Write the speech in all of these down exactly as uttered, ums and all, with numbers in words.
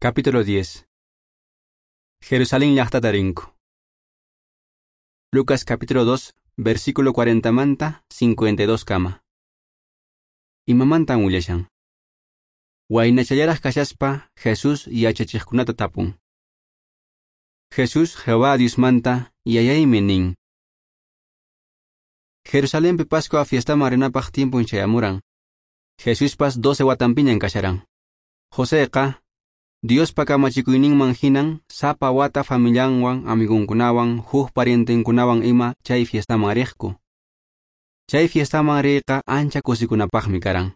Capítulo diez. Jerusalén llaqtata rinku. Lucas capítulo dos, versículo cuarenta manta cincuenta y dos kama. Imamantan willashan. Waynachallaraq kashaspa Jesús yachachiqkunata tapun. Jesús Jehová Diosmanta yayaymi nin. Jerusalenpi Pascua fiestaman rinapaq tiempun chayamuran. Jesuspas doce watanpiñan kasharan. Joseqa Diospa kamachikuyninman hinan sapa wata familianwan, amigunkunawan, huk parientenkunawan ima chay fiestaman riqku. Chay fiestaman riyqa ancha kusikunapaqmi karan.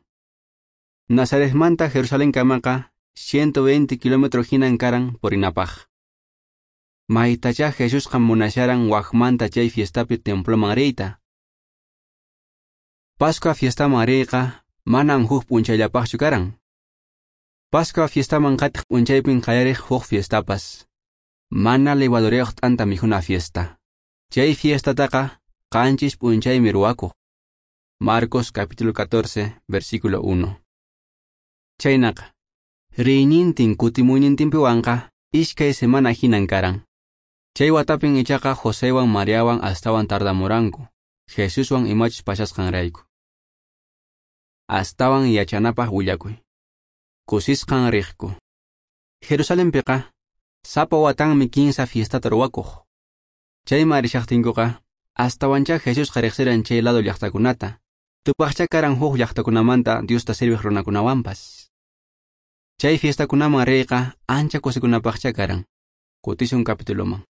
Nazaretmanta Jerusalén kamaqa ciento veinte kilómetro hinan karan purinapaq. Maytachá Jesusqa munasharan wakmanta chay fiestapi temploman riyta. Pascua fiestaman riyqa manan huk p'unchayllapaqchu karan. Pascua fiestaman qatiq p'unchaypin qallariq huk fiestapas. Mana levadurayuq t'anta mikhuna fiesta. Chay fiestataqa qanchis p'unchaymi ruwakuq. Marcos capítulo catorce, versículo uno. Chaynaqa, riynintin kutimuynintinpiwanqa iskay semana hinan karan. Chay watapin ichaqa Josewan Mariawan astawan tardamuranku, Jesuswan imachus pasasqanrayku. Astawan yachanapaq willakuy. Kusisqan riqku. Jerusalenpiqa sapa watanmi kinsa fiestata ruwakuq. Chayman rishaqtinkuqa astawanchá Jesusqa riqsiran chay lado llaqtakunata. Tupaqchá karan huk llaqtakunamanta Diosta serviq runakunawanpas. Chay fiestakunaman riyqa ancha kusikunapaqchá karan. Kutisun capituloman.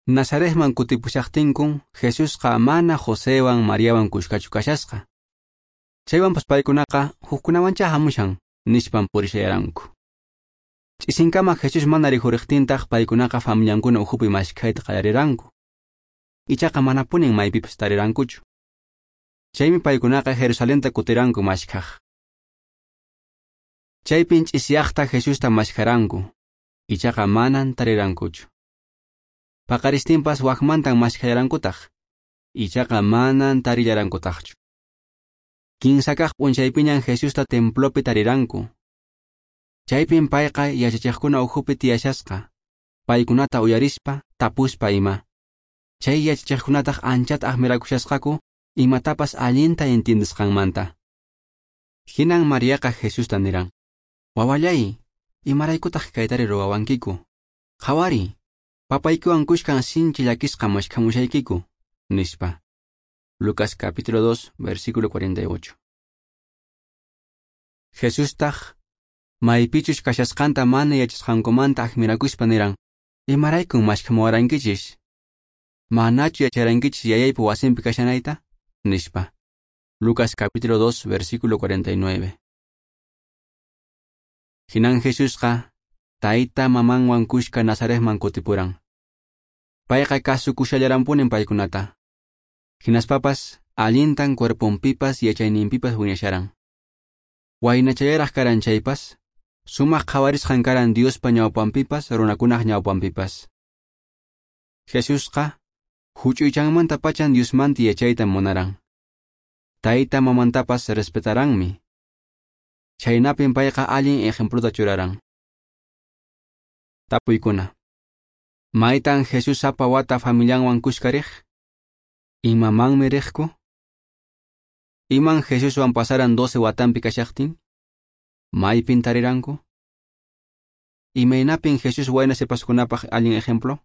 Nazaretman kutipushaqtinkun Jesusqa mana Josewan Mariawan kushkachu kashasqa. Chaywanpas paykunaqa hukkunawanchá hamushan nispan purishayaranku. Ch'isinkama Jesús mana rikhuriqtintaq paykunaqa familiankuna ukhupi maskhayta qallariranku. Ichaqa manapunin maypipas tarirankuchu. Chaymi paykunaqa Jerusalenta kutiranku maskhaq. Chaypin ch'isiyaqta Jesusta maskharanku, ichaqa manan tarirankuchu. Paqaristinpas wakmantan maskhayarankutaq, ichaqa manan tarillarankutaqchu. Kinsa kaq p'unchaypiñan Jesusta templopi tariranku. Chaypin payqa yachachiqkuna ukhupi tiyashasqa, paykunata uyarispa, tapuspa ima. Chay yachachiqkunataq anchata admirakushasqaku imatapas allinta entiendesqanmanta. Hinan Mariaqa Jesusta niran: "Wawallay, imaraykutaq kaytari ruwawankiku? Qhawari, papaykiwan kushkan sinchi llakisqa maskhamushaykiku", nispa. Lucas capítulo dos, versículo cuarenta y ocho. Jesustaq maypichus kashasqanta mana yachasqankumanta admirakuspa niran: "Imaraykun maskhamuwarankichis? Manachu yacharankichis yayaypa wasinpi kashanayta?" nispa. Lucas capítulo dos, versículo cuarenta y nueve. Hinan Jesusqa tayta mamanwan kushka Nazaretman kutipuran. Payqa kasukushallaranpunin paykunata. Hinaspapas allintan cuerponpipas yachayninpipas wiñasharan. Waynachallaraq karan chaypas, sumaq qhawarisqan karan Diospa ñawpanpipas runakunaq ñawpanpipas. Jesusqa huch'uychanmanta pachan Diosmanta yachayta munaran. Tayta mamantapas respetaranmi. Chaynapin payqa allin ejempluta churaran. Tapuykuna. Maytan Jesús sapa wata familianwan kushka riq? Imamanmi riqku? Iman Jesuswan pasaran doce watanpi kashaqtin? Maypin tariranku? Imaynapin Jesús wayna sipaskunapaq allin ejemplo?